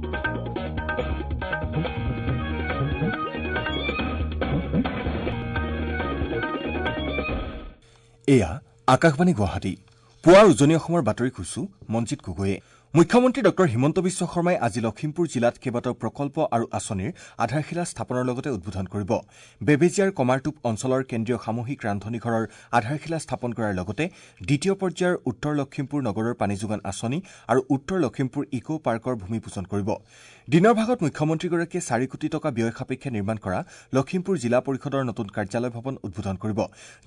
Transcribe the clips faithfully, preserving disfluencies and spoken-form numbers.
এয়া আকাশবাণী গুৱাহাটী। পুৱাৰ উজনি অসমৰ বাতৰি কৈছো মঞ্জিত গগৈয়ে। মুখ্যমন্ত্ৰী ডক্টৰ হিমন্ত বিশ্ব শৰ্মাই আজি লখিমপুৰ জিলাত কেইবাটাও প্ৰকল্প আৰু আঁচনিৰ আধাৰশিলা স্থাপনৰ লগতে উদ্বোধন কৰিব। বেবেজীয়াৰ কমাৰটোপ অঞ্চলৰ কেন্দ্ৰীয় সামূহিক ৰান্ধনীঘৰৰ আধাৰশিলা স্থাপন কৰাৰ লগতে দ্বিতীয় পৰ্যায়ৰ উত্তৰ লখিমপুৰ নগৰৰ পানী যোগান আঁচনি আৰু উত্তৰ লখিমপুৰ ইক' পাৰ্কৰ ভূমি পূজন কৰিব। দিনৰ ভাগত মুখ্যমন্ত্ৰীগৰাকীয়ে চাৰি কোটি টকা ব্যয় সাপেক্ষে নিৰ্মাণ কৰা লখিমপুৰ জিলা পৰিষদৰ নতুন কাৰ্যালয় ভৱন উদ্বোধন কৰিব।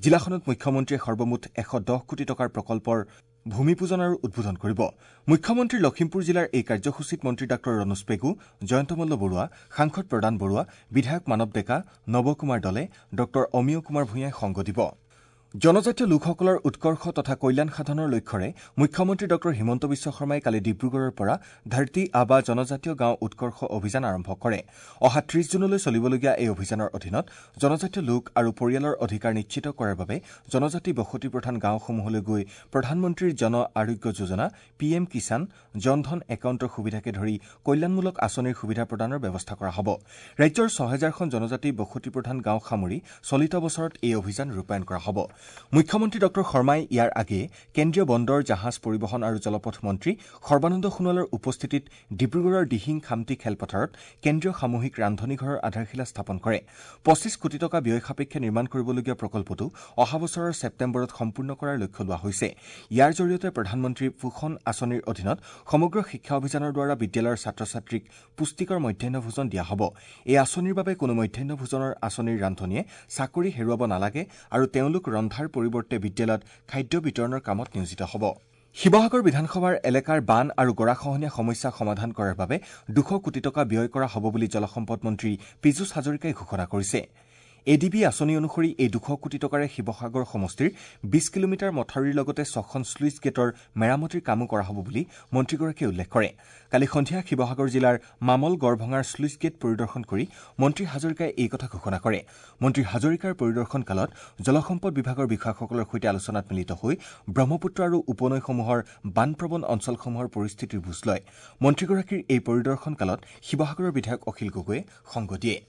জিলাখনত মুখ্যমন্ত্ৰীয়ে সৰ্বমুঠ এশ দহ কোটি টকাৰ প্ৰকল্পৰ ভূমি পূজন আৰু উদ্বোধন কৰিব। মুখ্যমন্ত্ৰীৰ লখিমপুৰ জিলাৰ এই কাৰ্যসূচীত মন্ত্ৰী ডাঃ ৰণোজ পেগু, জয়ন্ত মল্ল বৰুৱা, সাংসদ প্ৰদান বৰুৱা, বিধায়ক মানৱ ডেকা, নৱ কুমাৰ দলে, ডঃ অমিয় কুমাৰ ভূঞাই সংগ দিব। জনজাতীয় লোকসকলৰ উৎকৰ্ষ তথা কল্যাণ সাধনৰ লক্ষ্যৰে মুখ্যমন্ত্ৰী ডঃ হিমন্ত বিশ্ব শৰ্মাই কালি ডিব্ৰুগড়ৰ পৰা ধৰতী আবা জনজাতীয় গাঁও উৎকৰ্ষ অভিযান আৰম্ভ কৰে। অহা ত্ৰিশ জুনলৈ চলিবলগীয়া এই অভিযানৰ অধীনত জনজাতীয় লোক আৰু পৰিয়ালৰ অধিকাৰ নিশ্চিত কৰাৰ বাবে জনজাতি বসতি প্ৰধান গাঁওসমূহলৈ গৈ প্ৰধানমন্ত্ৰীৰ জন আৰোগ্য যোজনা, পি এম কিষাণ, জন ধন একাউণ্টৰ সুবিধাকে ধৰি কল্যাণমূলক আঁচনিৰ সুবিধা প্ৰদানৰ ব্যৱস্থা কৰা হ'ব। ৰাজ্যৰ ছহেজাৰখন জনজাতি বসতি প্ৰধান গাঁও সামৰি চলিত বছৰত এই অভিযান ৰূপায়ণ কৰা হ'ব। মুখ্যমন্ত্ৰী ডঃ শৰ্মাই ইয়াৰ আগেয়ে কেন্দ্ৰীয় বন্দৰ, জাহাজ পৰিবহণ আৰু জলপথ মন্ত্ৰী সৰ্বানন্দ সোণোৱালৰ উপস্থিতিত ডিব্ৰুগড়ৰ দিহিং খামটি খেলপথাৰত কেন্দ্ৰীয় সামূহিক ৰান্ধনীঘৰৰ আধাৰশিলা স্থাপন কৰে। পঁচিছ কোটি টকা ব্যয় সাপেক্ষে নিৰ্মাণ কৰিবলগীয়া প্ৰকল্পটো অহা বছৰৰ ছেপ্টেম্বৰত সম্পূৰ্ণ কৰাৰ লক্ষ্য লোৱা হৈছে। ইয়াৰ জৰিয়তে প্ৰধানমন্ত্ৰী পোষণ আঁচনিৰ অধীনত সমগ্ৰ শিক্ষা অভিযানৰ দ্বাৰা বিদ্যালয়ৰ ছাত্ৰ ছাত্ৰীক পুষ্টিকৰ মধ্যাহ্ন ভোজন দিয়া হ'ব। এই আঁচনিৰ বাবে কোনো মধ্যাহ্ন ভোজনৰ আঁচনিৰ ৰান্ধনীয়ে চাকৰি হেৰুৱাব নালাগে আৰু তেওঁলোক ৰন্ধাৰ পৰিৱৰ্তে বিদ্যালয়ত খাদ্য বিতৰণৰ কামত নিয়োজিত হ'ব। শিৱসাগৰ বিধানসভাৰ এলেকাৰ বান আৰু গৰাখহনীয়া সমস্যা সমাধান কৰাৰ বাবে দুশ কোটি টকা ব্যয় কৰা হ'ব বুলি জলসম্পদ মন্ত্ৰী পীযুষ হাজৰিকাই ঘোষণা কৰিছে। এ ডি বি আঁচনি অনুসৰি এই দুশ কোটি টকাৰে শিৱসাগৰ সমষ্টিৰ বিশ কিলোমিটাৰ মথাউৰিৰ লগতে ছখন শ্লুইচ গেটৰ মেৰামতিৰ কামো কৰা হ'ব বুলি মন্ত্ৰীগৰাকীয়ে উল্লেখ কৰে। কালি সন্ধিয়া শিৱসাগৰ জিলাৰ মামল গড়ভঙাৰ শ্লুইচ গেট পৰিদৰ্শন কৰি মন্ত্ৰী হাজৰিকাই এই কথা ঘোষণা কৰে। মন্ত্ৰী হাজৰিকাৰ পৰিদৰ্শনকালত জলসম্পদ বিভাগৰ বিষয়াসকলৰ সৈতে আলোচনাত মিলিত হৈ ব্ৰহ্মপুত্ৰ আৰু উপনৈসমূহৰ বানপ্ৰৱণ অঞ্চলসমূহৰ পৰিস্থিতিৰ বুজ লয়। মন্ত্ৰীগৰাকীৰ এই পৰিদৰ্শনকালত শিৱসাগৰৰ বিধায়ক অখিল গগৈয়ে সংগ দিয়ে।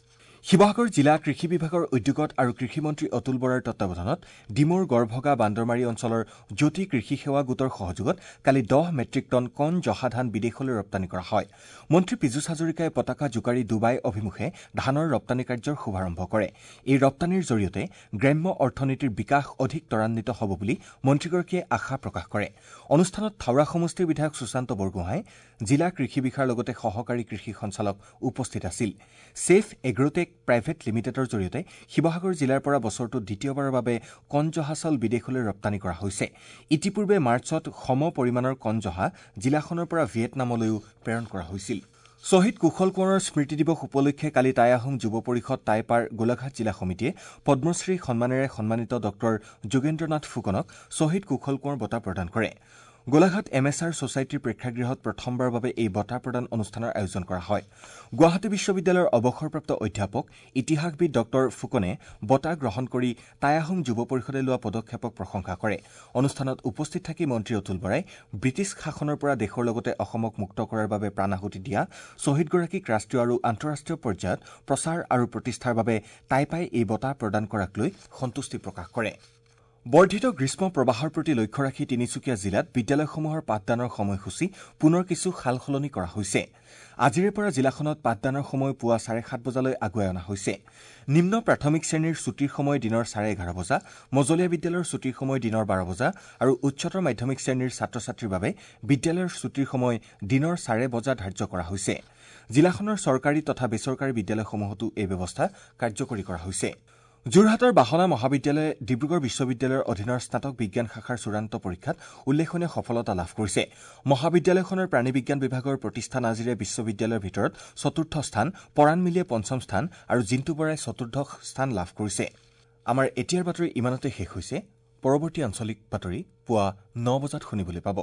শিৱসাগৰ জিলা কৃষি বিভাগৰ উদ্যোগত আৰু কৃষিমন্ত্ৰী অতুল বৰাৰ তত্বাৱধানত ডিমৌৰ গড়ভগা বান্দৰমাৰী অঞ্চলৰ জ্যোতি কৃষি সেৱা গোটৰ সহযোগত কালি দহ মেট্ৰিক টন কণ জহা ধান বিদেশলৈ ৰপ্তানি কৰা হয়। মন্ত্ৰী পীযুষ হাজৰিকাই পতাকা জোকাৰি ডুবাই অভিমুখে ধানৰ ৰপ্তানি কাৰ্যৰ শুভাৰম্ভ কৰে। এই ৰপ্তানিৰ জৰিয়তে গ্ৰাম্য অৰ্থনীতিৰ বিকাশ অধিক ত্বৰান্বিত হ'ব বুলি মন্ত্ৰীগৰাকীয়ে আশা প্ৰকাশ কৰে। অনুষ্ঠানত থাওৰা সমষ্টিৰ বিধায়ক সুশান্ত বৰগোহাঁই, জিলা কৃষি বিষয়াৰ লগতে সহকাৰী কৃষি সঞ্চালক উপস্থিত আছিল। ছেফ এগ্ৰটেক প্ৰাইভেট লিমিটেডৰ জৰিয়তে শিৱসাগৰ জিলাৰ পৰা বছৰটোত দ্বিতীয়বাৰৰ বাবে কণজহা চাউল বিদেশলৈ ৰপ্তানি কৰা হৈছে। ইতিপূৰ্বে মাৰ্চত সম পৰিমাণৰ কণজহা জিলাখনৰ পৰা ভিয়েটনামলৈও প্ৰেৰণ কৰা হৈছিল। শ্বহীদ কুশল কোঁৱৰৰ স্মৃতি দিৱস উপলক্ষে কালি টাই আহোম যুৱ পৰিষদ টাইপাৰ গোলাঘাট জিলা সমিতিয়ে পদ্মশ্ৰী সন্মানেৰে সন্মানিত ডঃ যোগেন্দ্ৰ নাথ ফুকনক শ্বহীদ কুশল কোঁৱৰ বঁটা প্ৰদান কৰে। গোলাঘাট এম এছ আৰ ছ'চাইটিৰ প্ৰেক্ষাগৃহত প্ৰথমবাৰৰ বাবে এই বঁটা প্ৰদান অনুষ্ঠানৰ আয়োজন কৰা হয়। গুৱাহাটী বিশ্ববিদ্যালয়ৰ অৱসৰপ্ৰাপ্ত অধ্যাপক ইতিহাসবিদ ডঃ ফুকনে বঁটা গ্ৰহণ কৰি টাই আহোম যুৱ পৰিষদে লোৱা পদক্ষেপক প্ৰশংসা কৰে। অনুষ্ঠানত উপস্থিত থাকি মন্ত্ৰী অতুল বৰাই ব্ৰিটিছ শাসনৰ পৰা দেশৰ লগতে অসমক মুক্ত কৰাৰ বাবে প্ৰাণ আহুতি দিয়া শ্বহীদগৰাকীক ৰাষ্ট্ৰীয় আৰু আন্তঃৰাষ্ট্ৰীয় পৰ্যায়ত প্ৰচাৰ আৰু প্ৰতিষ্ঠাৰ বাবে টাইপাই এই বঁটা প্ৰদান কৰাক লৈ সন্তুষ্টি প্ৰকাশ কৰে। বৰ্ধিত গ্ৰীষ্ম প্ৰবাহৰ প্ৰতি লক্ষ্য ৰাখি তিনিচুকীয়া জিলাত বিদ্যালয়সমূহৰ পাঠদানৰ সময়সূচী পুনৰ কিছু সালসলনি কৰা হৈছে। আজিৰে পৰা জিলাখনত পাঠদানৰ সময় পুৱা চাৰে সাত বজালৈ আগুৱাই অনা হৈছে। নিম্ন প্ৰাথমিক শ্ৰেণীৰ ছুটীৰ সময় দিনৰ চাৰে এঘাৰ বজা, মজলীয়া বিদ্যালয়ৰ ছুটীৰ সময় দিনৰ বাৰ বজা আৰু উচ্চতৰ মাধ্যমিক শ্ৰেণীৰ ছাত্ৰ ছাত্ৰীৰ বাবে বিদ্যালয়ৰ ছুটীৰ সময় দিনৰ চাৰে বজা ধাৰ্য কৰা হৈছে। জিলাখনৰ চৰকাৰী তথা বেচৰকাৰী বিদ্যালয়সমূহতো এই ব্যৱস্থা কাৰ্যকৰী কৰা হৈছে। যোৰহাটৰ বাহনা মহাবিদ্যালয়ে ডিব্ৰুগড় বিশ্ববিদ্যালয়ৰ অধীনৰ স্নাতক বিজ্ঞান শাখাৰ চূড়ান্ত পৰীক্ষাত উল্লেখনীয় সফলতা লাভ কৰিছে। মহাবিদ্যালয়খনৰ প্ৰাণী বিজ্ঞান বিভাগৰ প্ৰতিষ্ঠা নাজিৰে বিশ্ববিদ্যালয়ৰ ভিতৰত চতুৰ্থ স্থান, পৰাণ মিলিয়ে পঞ্চম স্থান আৰু জিন্তু বৰাই চতুৰ্দশ স্থান লাভ কৰিছে। আমাৰ এতিয়াৰ বাতৰি ইমানতে শেষ হৈছে। পৰৱৰ্তী আঞ্চলিক বাতৰি পুৱা ন বজাত শুনিবলৈ পাব।